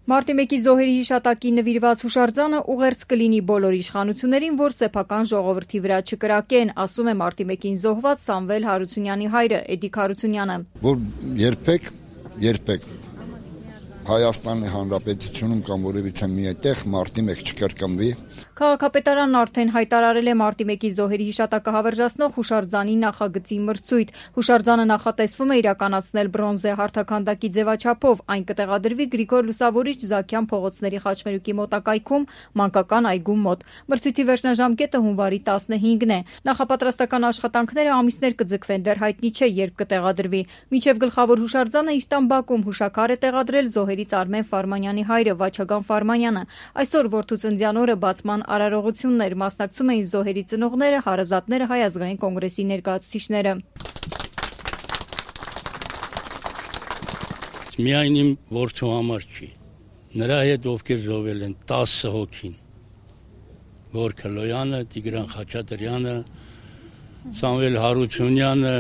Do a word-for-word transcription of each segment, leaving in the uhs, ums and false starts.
Մարտի մեկի զոհերի հիշատակին նվիրված հուշարձանը ուղերձ կլինի բոլոր իշխանություններին, որ սեփական ժողովրդի վրա չկրակեն, ասում է մարտի մեկին զոհված Սամվել Հարությունյանի հայրը Էդիկ Հարությունյանը։ Որ երբեք, երբեք Հայաստանի Հանրապետությունում կամ որևիցե մի այդտեղ մարտի մեկ չկրկնվի։ Քաղաքապետարանն արդեն հայտարարել է մարտի մեկի զոհերի հիշատակը հավերժացնող հուշարձանի նախագծի մրցույթ։ Հուշարձանը նախատեսվում է իրականացնել բրոնզե հարթաքանդակի ձևաչափով, այն կտեղադրվի Գրիգոր Լուսավորիչ Զաքյան փողոցների խաչմերուկի մոտակայքում մանկական այգու մոտ։ Մրցույթի վերջնաժամկետը հունվարի տասնհինգն է։ Նախապատրաստական աշխատանքները ամիսներ կձգվեն, դեռ հայտնի չէ երբ կտեղադրվի։ Մինչև գլխավոր հուշարձանը Իստան Բաքում հուշաքար է տեղադրել զոհերից Արմեն Ֆարմանյանի հայրը Վաչագան Ֆարմանյանը։ Այսօր որդու ծննդյան օրը բացման արարողություններ, մասնակցում էին զոհերի ծնողները, հարազատները, Հայ ազգային կոնգրեսի ներկայացուցիչները։ Միայն իմ որդու համար չի, նրա հետ ովքեր զոհվել են տասը հոգին, Գորգ Լոյանը, Տիգրան Խաչատրյանը, Սամվել Հարությունյանը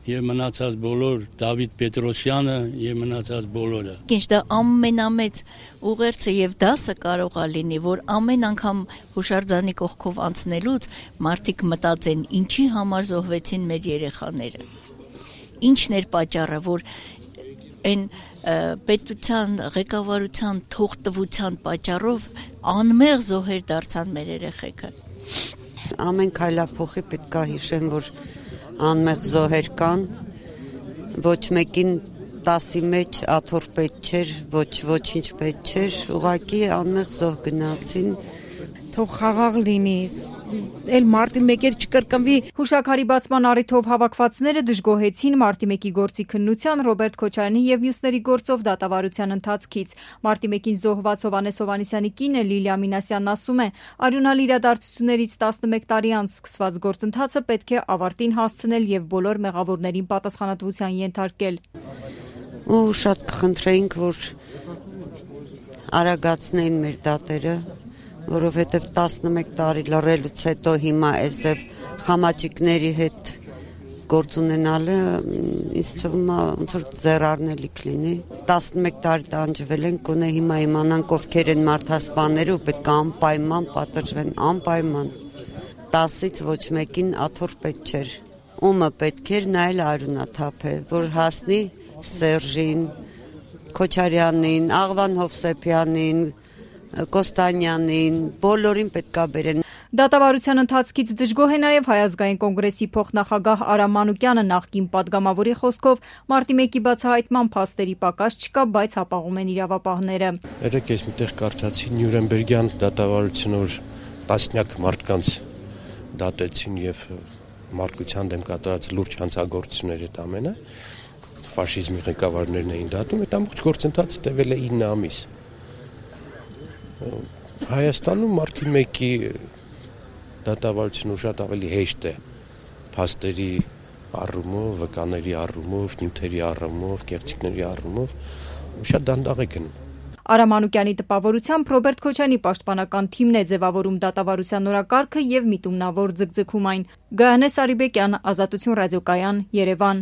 եւ մնացած բոլոր, Դավիթ Պետրոսյանը եւ մնացած բոլորը։ Ինչ դա ամենամեծ ուղերձը եւ դասը կարող է լինի, որ ամեն անգամ հուշարձանի կողքով անցնելուց մարդիկ մտածեն, ինչի համար զոհվեցին մեր երեխաները։ Ինչն էր պատճառը, որ այն պետության ղեկավարության թողտվության պատճառով անմեղ զոհեր դարձան մեր երեխեքը։ Ամեն քայլափոխի պետք է հիշեն, որ անմեղ զոհեր կան, ոչ մեկին տասի մեջ աթոռ պետք չէր, ոչ ոչինչ պետք չէր, ուղղակի անմեղ զոհ գնացին։ Թող խաղաղ լինի, էլ մարտի մեկեր չկրկնվի։ Հուշաքարի բացման առիթով հավաքվածները դժգոհեցին մարտի մեկի գործի քննության, Ռոբերտ Քոչարյանի եւ մյուսների գործով դատավարության ընթացքից։ Մարտի մեկին զոհված Հովհաննես Հովհաննիսյանի կինը Լիլիա Մինասյանն ասում է, արյունալի իրադարձություններից տասնմեկ տարի անց սկսված գործընթացը պետք է ավարտին հասցնել եւ բոլոր մեղավորներին պատասխանատվության ենթարկել։ Ու շատ կխնդրեինք, որ արագացնեին մեր դատերը, որովհետև տասնմեկ տարի լռելուց հետո հիմա այսև խամաճիկների հետ գործ ունենալը ինձ թվում է ոնց որ ձեռառնելի կլինի։ տասնմեկ տարի տանջվել են, գոնե հիմա իմանանք ովքեր են մարդասպաները ու պետք է անպայման պատժվեն, անպայման։ տասից ոչ մեկին աթոռ պետք չէր։ Ումը պետք էր նայել արյունաթափ է, որ հասնի Սերժին, Քոչարյանին, Աղվան Հովսեփյանին, Կոստանյանին, բոլորին պետք է բերեն։ Դատավարության ընթացքից դժգոհ է նաև Հայ ազգային կոնգրեսի փոխնախագահ Արամ Մանուկյանը, նախկին падգամավորի խոսքով մարտի մեկի բացահայտման փաստերի պակաս չկա, բայց հապաղում են իրավապահները։ Երեք ես միտեղ կարդացի Նյուրնբերգյան դատավարությունը, որ տասնյակ մարդկանց դատեցին եւ մարդկության դեմ կատարած լուրջ հանցագործություններ այդ ամենը, ֆաշիզմի ղեկավարներն էին դատում, այդ ամբողջ գործընթացը տևել է ինը ամիս։ Հայաստանում մարտի մեկի դատավարությունը շատ ավելի հեշտ է փաստերի առումով, վկաների առումով, նյութերի առումով, կեղծիքների առումով, շատ դանդաղ է գնում։ Արամ Մանուկյանի տպավորությամբ Ռոբերտ Քոչարյանի պաշտպանական թիմն է ձևավորում դատավարության օրակարգը եւ միտումնավոր ձգձգում այն։ Գայանե Սարիբեկյան, Ազատություն ռադիոկայան, Երևան։